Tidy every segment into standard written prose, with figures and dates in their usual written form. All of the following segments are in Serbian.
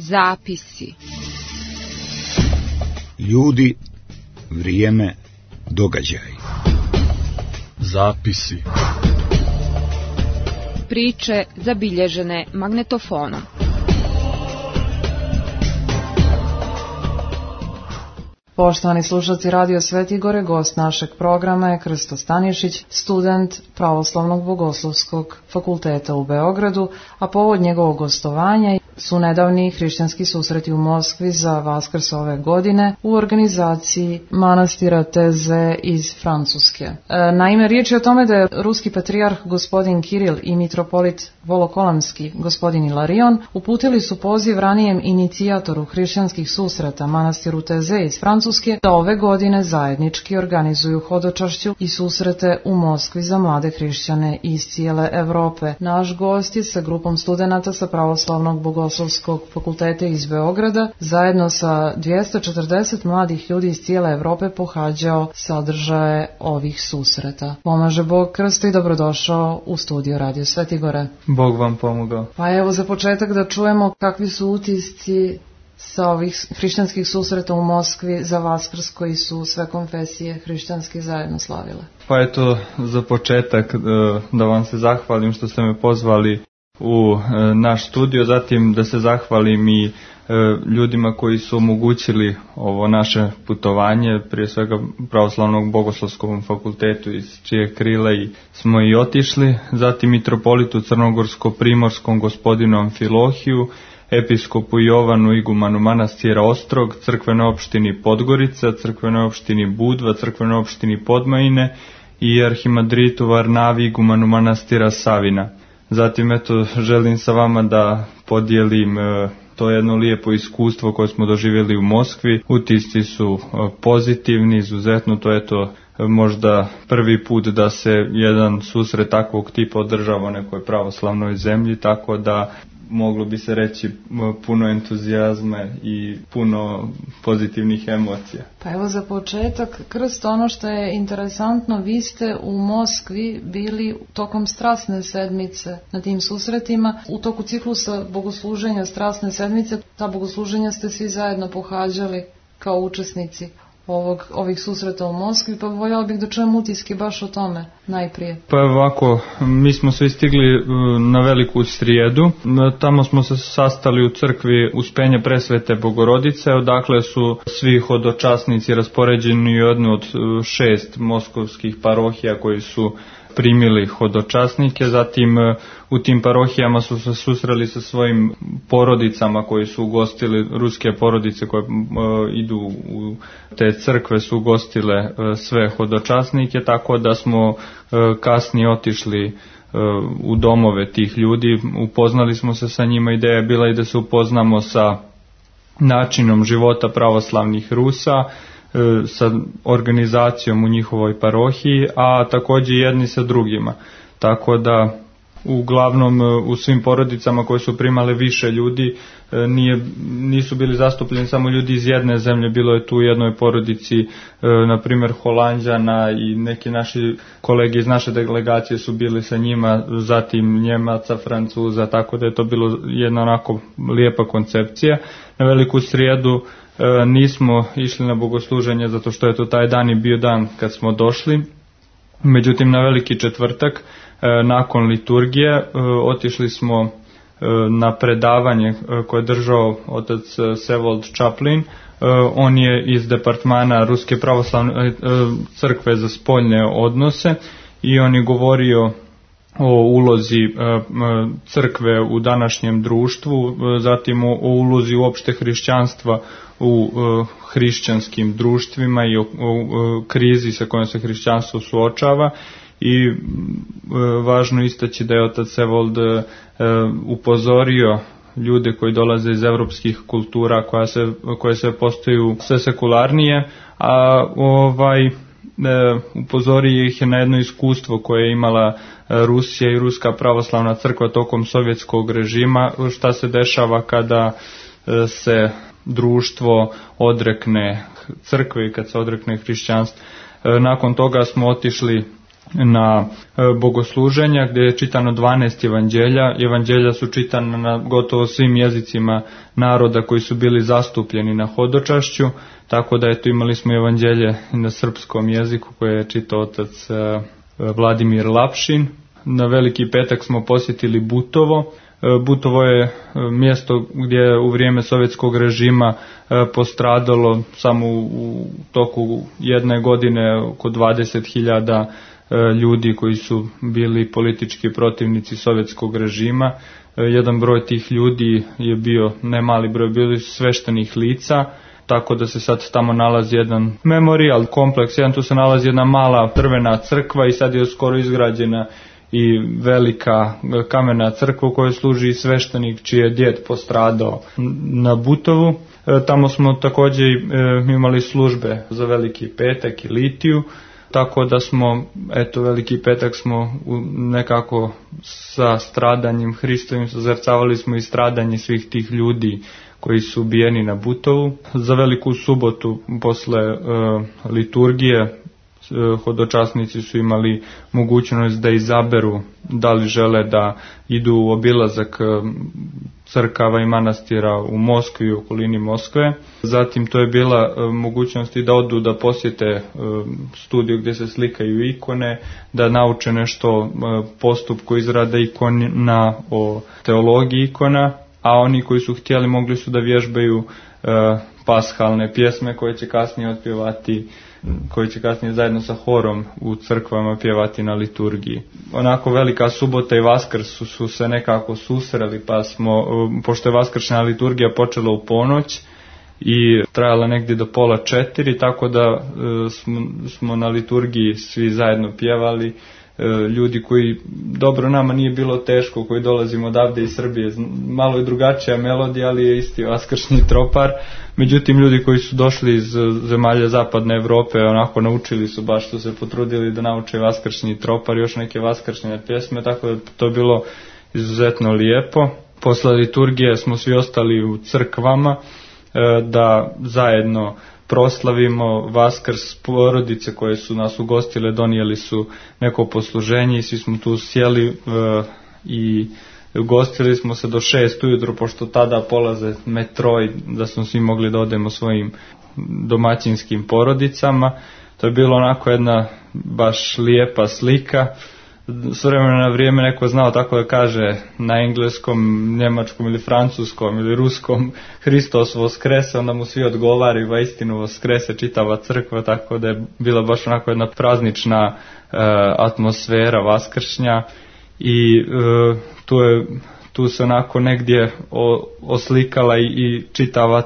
Zapisi. Ljudi, vrijeme, događaj. Zapisi. Priče zabilježene magnetofonom. Poštovani slušalci Radio Svetigore, gost našeg programa je Krsto Stanišić, student Pravoslavnog bogoslovskog fakulteta u Beogradu, a povod njegovog gostovanja su nedavni hrišćanski susreti u Moskvi za Vaskrs ove godine u organizaciji manastira Teze iz Francuske. Naime, riječ je o tome da je ruski patrijarh gospodin Kiril i mitropolit Volokolamski gospodin Ilarion uputili su poziv ranijem inicijatoru hrišćanskih susreta manastiru Teze iz Francuske da ove godine zajednički organizuju hodočašću i susrete u Moskvi za mlade hrišćane iz cijele Evrope. Naš gost je sa grupom studenata sa Pravoslavnog bogoslovskog fakulteta iz Beograda zajedno sa 240 mladih ljudi iz cijele Evrope pohađao sadržaje ovih susreta. Pomaže Bog, Krsto, i dobrodošao u studio Radio Svetigore. Bog vam pomogao. Pa evo za početak da čujemo kakvi su utisci sa ovih hrišćanskih susreta u Moskvi za Vaskrs koji su sve konfesije hrišćanske zajedno slavile. Pa eto, za početak da vam se zahvalim što ste me pozvali u naš studio, zatim da se zahvalim i ljudima koji su omogućili ovo naše putovanje, prije svega Pravoslavnog bogoslovskom fakultetu iz čije krila smo i otišli, zatim mitropolitu Crnogorsko-primorskom gospodinu Amfilohiju, episkopu Jovanu igumanu manastira Ostrog, crkvenoj opštini Podgorica, crkvenoj opštini Budva, crkvenoj opštini Podmajine i arhimadritu Varnavi igumanu manastira Savina. Zatim eto, želim sa vama da podijelim to jedno lijepo iskustvo koje smo doživjeli u Moskvi. Utisci su pozitivni, izuzetno, to je to možda prvi put da se jedan susret takvog tipa održava u nekoj pravoslavnoj zemlji, tako da moglo bi se reći puno entuzijazma i puno pozitivnih emocija. Pa evo za početak, Krsto, ono što je interesantno, vi ste u Moskvi bili tokom Strasne sedmice na tim susretima. U toku ciklusa bogosluženja Strasne sedmice, ta bogosluženja ste svi zajedno pohađali kao učesnici ovih susreta u Moskvi, pa voljela bih da čujem utiske baš o tome najprije. Pa ovako, mi smo svi stigli na Veliku srijedu, tamo smo se sastali u crkvi Uspenja Presvete Bogorodice, odakle su svi hodočasnici raspoređeni u jednu od 6 moskovskih parohija koji su primili hodočasnike, zatim u tim parohijama su se susreli sa svojim porodicama koji su ugostili, ruske porodice koje idu u te crkve su ugostile sve hodočasnike, tako da smo kasnije otišli u domove tih ljudi, upoznali smo se sa njima, ideja je bila i da se upoznamo sa načinom života pravoslavnih Rusa, sa organizacijom u njihovoj parohiji, a također jedni sa drugima. Tako da uglavnom u svim porodicama koje su primale više ljudi nisu bili zastupljeni samo ljudi iz jedne zemlje, bilo je tu u jednoj porodici na primjer Holanđana i neki naši kolege iz naše delegacije su bili sa njima, zatim Njemaca, Francuza, tako da je to bilo jedna onako lijepa koncepcija. Na Veliku srijedu nismo išli na bogosluženje zato što je to taj dan i bio dan kad smo došli. Međutim, na Veliki četvrtak nakon liturgije otišli smo na predavanje koje je držao otac Sevold Chaplin. On je iz departmana Ruske pravoslavne crkve za spoljne odnose i on je govorio o ulozi crkve u današnjem društvu, zatim o ulozi uopšte hrišćanstva u hrišćanskim društvima i o krizi sa kojom se hrišćanstvo suočava. I važno istaći da je otac Sevold upozorio ljude koji dolaze iz evropskih kultura koje sve postaju sve sekularnije, a upozorio ih je na jedno iskustvo koje je imala Rusija i Ruska pravoslavna crkva tokom sovjetskog režima, šta se dešava kada se društvo odrekne crkve i kad se odrekne hrišćanstva. Nakon toga smo otišli na bogosluženja gdje je čitano 12 evanđelja. Evanđelja su čitana na gotovo svim jezicima naroda koji su bili zastupljeni na hodočašću, tako da eto imali smo evanđelje na srpskom jeziku koje je čitao otac Vladimir Lapšin. Na Veliki petak smo posjetili Butovo. Butovo je mjesto gdje je u vrijeme sovjetskog režima postradalo samo u toku jedne godine oko 20.000 ljudi koji su bili politički protivnici sovjetskog režima. Jedan broj tih ljudi je bio, ne mali broj, bili sveštenih lica, tako da se sad tamo nalazi jedan memorial kompleks, tu se nalazi jedna mala drvena crkva i sad je skoro izgrađena i velika kamena crkva u kojoj služi sveštenik čiji je djed postradao na Butovu. Tamo smo također imali službe za Veliki petak i litiju, tako da smo, eto, Veliki petak smo nekako sa stradanjem Hristovim sazrcavali smo i stradanje svih tih ljudi koji su ubijeni na Butovu. Za Veliku subotu posle liturgije hodočasnici su imali mogućnost da izaberu da li žele da idu u obilazak crkava i manastira u Moskvi i okolini Moskve. Zatim to je bila mogućnost i da odu da posjete studiju gdje se slikaju ikone, da nauče nešto postupku izrade ikona, o teologiji ikona, a oni koji su htjeli mogli su da vježbaju pashalne pjesme koje će kasnije otpjevati, koji će kasnije zajedno sa horom u crkvama pjevati na liturgiji. Onako Velika subota i Vaskrs su se nekako susreli, pa smo, pošto je vaskršnja liturgija počela u ponoć i trajala negdje do 3:30, tako da smo na liturgiji svi zajedno pjevali. Ljudi koji, dobro, nama nije bilo teško, koji dolazimo odavde iz Srbije, malo je drugačija melodija, ali je isti vaskršnji tropar. Međutim, ljudi koji su došli iz zemalja zapadne Evrope, onako naučili su, baš su se potrudili da nauče vaskršnji tropar i još neke vaskršnje pjesme, tako da to je bilo izuzetno lijepo. Posle liturgije smo svi ostali u crkvama da zajedno proslavimo Vaskrs. Porodice koje su nas ugostile donijeli su neko posluženje i svi smo tu sjeli i ugostili smo se do 6 ujutro, pošto tada polaze metro i da smo svi mogli da odemo svojim domaćinskim porodicama. To je bilo onako jedna baš lijepa slika. S vremena na vrijeme neko znao tako da kaže na engleskom, njemačkom ili francuskom ili ruskom Hristos voskrese, onda mu svi odgovaraju, va istinu voskrese čitava crkva, tako da je bila baš onako jedna praznična atmosfera vaskršnja i tu se onako negdje oslikala i čitava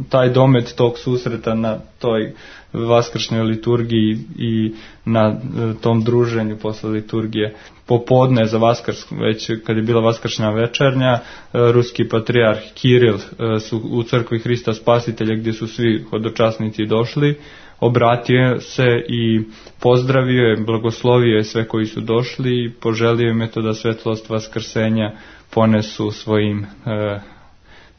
taj domet tog susreta na toj vaskršnjoj liturgiji i na tom druženju posle liturgije. Popodne za Vaskrs, već kad je bila vaskršnja večernja, ruski patrijarh Kiril su u crkvi Hrista Spasitelja, gdje su svi hodočasnici došli, obratio se i pozdravio je, blagoslovio je sve koji su došli i poželio im eto da svetlost vaskrsenja ponesu svojim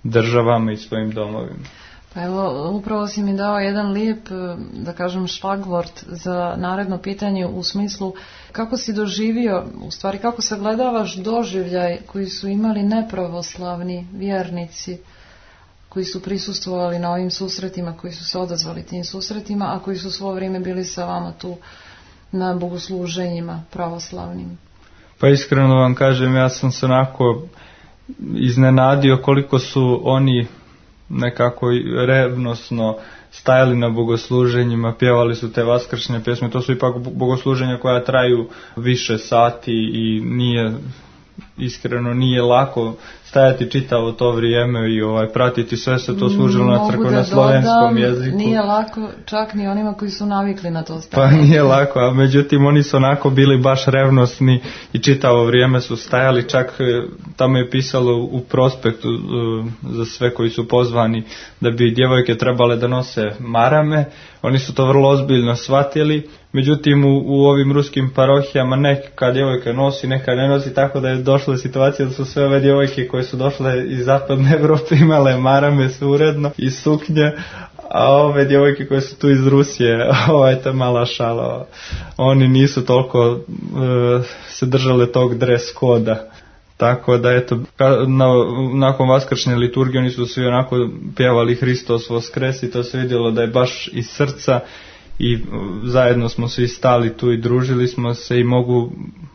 državama i svojim domovima. Pa evo, upravo si mi dao jedan lijep, da kažem, šlagvort za naredno pitanje u smislu kako si doživio, u stvari kako sagledavaš doživljaj koji su imali nepravoslavni vjernici koji su prisustvovali na ovim susretima, koji su se odazvali tim susretima, a koji su svo vrijeme bili sa vama tu na bogosluženjima pravoslavnim. Pa iskreno vam kažem, ja sam se onako iznenadio koliko su oni nekako revnosno stajali na bogosluženjima, pjevali su te vaskršnje pjesme. To su ipak bogosluženja koja traju više sati i nije lako stajati čitavo to vrijeme i pratiti sve se to služilo na crkveno-slovenskom jeziku. Nije lako čak ni onima koji su navikli na to stajati. Pa nije lako, a međutim oni su onako bili baš revnosni i čitavo vrijeme su stajali, čak tamo je pisalo u prospektu za sve koji su pozvani da bi djevojke trebale da nose marame. Oni su to vrlo ozbiljno shvatili. Međutim, u ovim ruskim parohijama neka djevojka nosi, neka ne nosi, tako da je došla situacija da su sve ove djevojke koje su došle iz zapadne Evrope imale marame uredno i suknje, a ove djevojke koje su tu iz Rusije, to je mala šala, oni nisu toliko se držale tog dress koda. Tako da eto, nakon vaskršnje liturgije oni su svi onako pjevali Hristos voskres i to se vidjelo da je baš iz srca i zajedno smo svi stali tu i družili smo se i mogu,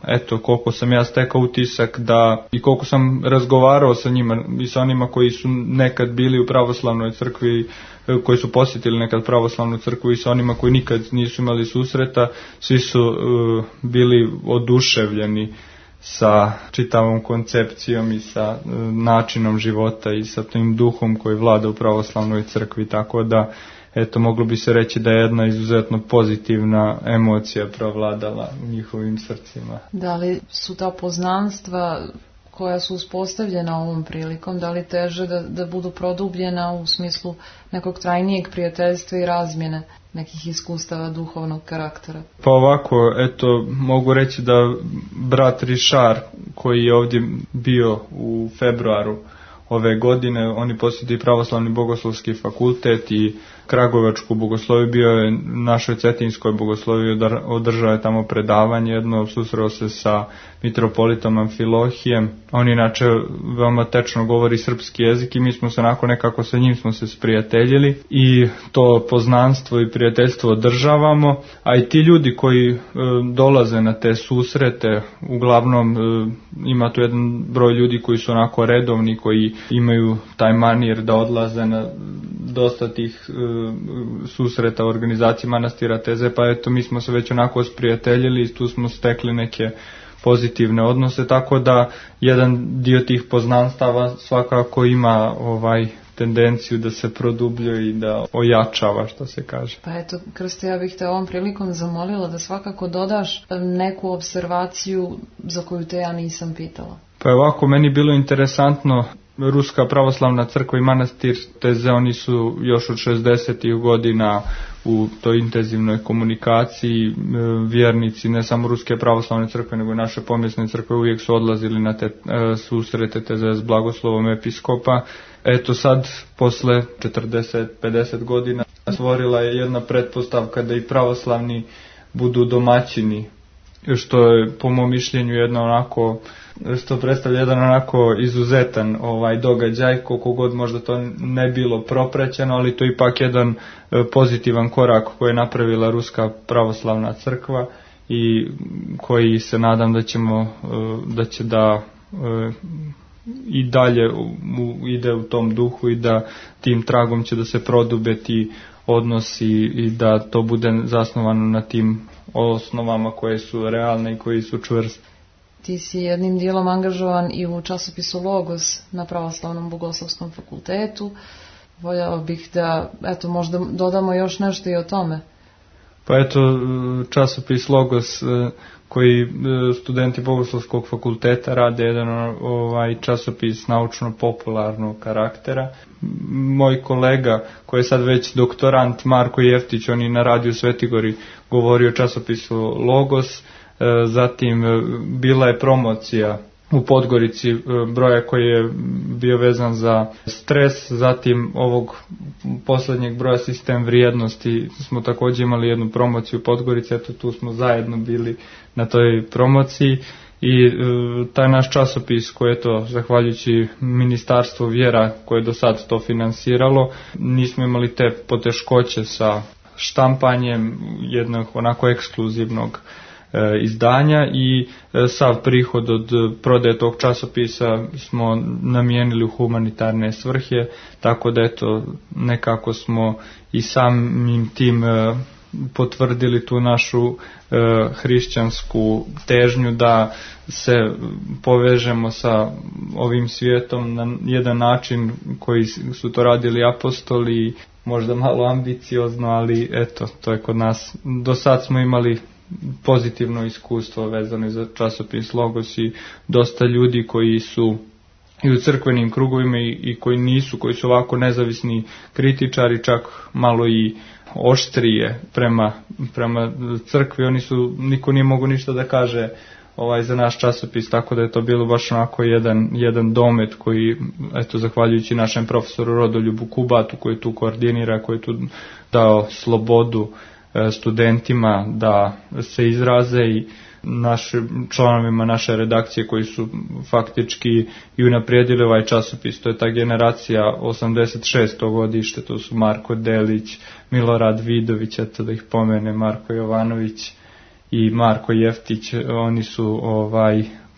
eto, koliko sam ja stekao utisak da i koliko sam razgovarao sa njima i sa onima koji su nekad bili u pravoslavnoj crkvi, koji su posjetili nekad pravoslavnu crkvu i sa onima koji nikad nisu imali susreta, svi su bili oduševljeni sa čitavom koncepcijom i sa načinom života i sa tim duhom koji vlada u pravoslavnoj crkvi, tako da eto, moglo bi se reći da je jedna izuzetno pozitivna emocija provladala u njihovim srcima. Da li su ta poznanstva koja su uspostavljena ovom prilikom, da li teže da budu produbljena u smislu nekog trajnijeg prijateljstva i razmjene nekih iskustava duhovnog karaktera? Pa ovako, eto, mogu reći da brat Rišar, koji je ovdje bio u februaru ove godine, on je posjetio pravoslavni bogoslovski fakultet i kragujevačku bogosloviju, bio je našoj cetinskoj bogosloviji, održao je tamo predavanje jedno, susreo se sa mitropolitom Amfilohijem. On inače veoma tečno govori srpski jezik i mi smo se onako nekako sa njim smo se sprijateljili i to poznanstvo i prijateljstvo održavamo, a i ti ljudi koji dolaze na te susrete, uglavnom ima tu jedan broj ljudi koji su onako redovni, koji imaju taj manir da odlaze na dosta tih susreta u organizaciji manastira Teze, pa eto, mi smo se već onako sprijateljili i tu smo stekli neke pozitivne odnose, tako da jedan dio tih poznanstava svakako ima tendenciju da se produbljuje i da ojačava, što se kaže. Pa eto, Krste, ja bih te ovom prilikom zamolila da svakako dodaš neku observaciju za koju te ja nisam pitala. Pa ovako, meni bilo interesantno, Ruska pravoslavna crkva i manastir Teze, oni su još od 60. godina u toj intenzivnoj komunikaciji, vjernici ne samo Ruske pravoslavne crkve nego i naše pomjesne crkve uvijek su odlazili na te susrete Teze s blagoslovom episkopa. Eto sad, posle 40-50 godina, stvorila je jedna pretpostavka da i pravoslavni budu domaćini, što je po mom mišljenju jedno onako, što predstavlja jedan onako izuzetan događaj, koliko god možda to ne bilo propraćeno, ali to je ipak jedan pozitivan korak koji je napravila Ruska pravoslavna crkva i koji se nadam da će i dalje ide u tom duhu i da tim tragom će da se prodube ti odnosi i da to bude zasnovano na tim osnovama koje su realne i koji su čvrste. Ti si jednim dijelom angažovan i u časopisu Logos na Pravoslavnom bogoslovskom fakultetu. Voljela bih da, eto, možda dodamo još nešto i o tome. Pa eto, časopis Logos koji studenti Bogoslovskog fakulteta rade, jedan časopis naučno-popularnog karaktera. Moj kolega, koji je sad već doktorant, Marko Jeftić, on je na radiju Svetigori govorio o časopisu Logos. Zatim bila je promocija u Podgorici broja koji je bio vezan za stres, zatim ovog posljednjeg broja sistem vrijednosti smo također imali jednu promociju u Podgorici, eto tu smo zajedno bili na toj promociji i taj naš časopis koji je to, zahvaljujući Ministarstvu vjera koje je do sad to finansiralo, nismo imali te poteškoće sa štampanjem jednog onako ekskluzivnog izdanja i sav prihod od prodaje tog časopisa smo namijenili u humanitarne svrhe, tako da eto nekako smo i samim tim potvrdili tu našu hrišćansku težnju da se povežemo sa ovim svijetom na jedan način koji su to radili apostoli, možda malo ambiciozno, ali eto, to je kod nas. Do sad smo imali pozitivno iskustvo vezano za časopis Logos i dosta ljudi koji su i u crkvenim krugovima i koji nisu, koji su ovako nezavisni kritičari, čak malo i oštrije prema crkvi, niko nije mogu ništa da kaže za naš časopis, tako da je to bilo baš onako jedan domet koji, eto, zahvaljujući našem profesoru Rodoljubu Kubatu koji tu koordinira, koji je tu dao slobodu studentima da se izraze i članovima naše redakcije koji su faktički i unaprijedili ovaj časopis. To je ta generacija 86. godište, to su Marko Delić, Milorad Vidović, eto da ih pomene, Marko Jovanović i Marko Jeftić, oni su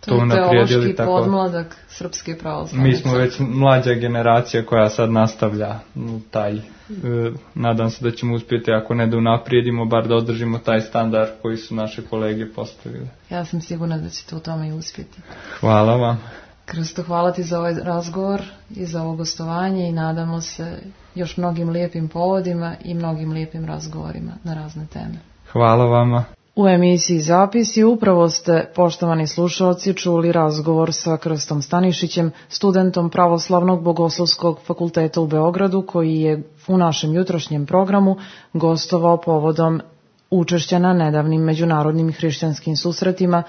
to unaprijedili. To je teološki podmladak Srpske pravoslavne. Mi smo već mlađa generacija koja sad nastavlja taj, nadam se da ćemo uspjeti, ako ne da unaprijedimo, bar da održimo taj standard koji su naše kolege postavili. Ja sam sigurna da ćete u tome i uspjeti. Hvala vam. Krsto, hvala ti za ovaj razgovor i za ovo gostovanje i nadamo se još mnogim lijepim povodima i mnogim lijepim razgovorima na razne teme. Hvala vama. U emisiji Zapisi upravo ste, poštovani slušalci, čuli razgovor sa Krstom Stanišićem, studentom Pravoslavnog bogoslovskog fakulteta u Beogradu, koji je u našem jutrošnjem programu gostovao povodom učešća na nedavnim međunarodnim hrišćanskim susretima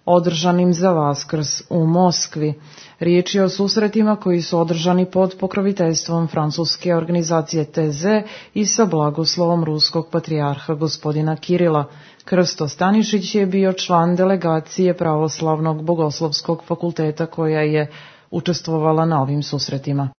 održanim za Vaskrs u Moskvi. Riječ je o susretima koji su održani pod pokroviteljstvom francuske organizacije TZ i sa blagoslovom ruskog patrijarha gospodina Kirila. Krsto Stanišić je bio član delegacije Pravoslavnog bogoslovskog fakulteta koja je učestvovala na ovim susretima.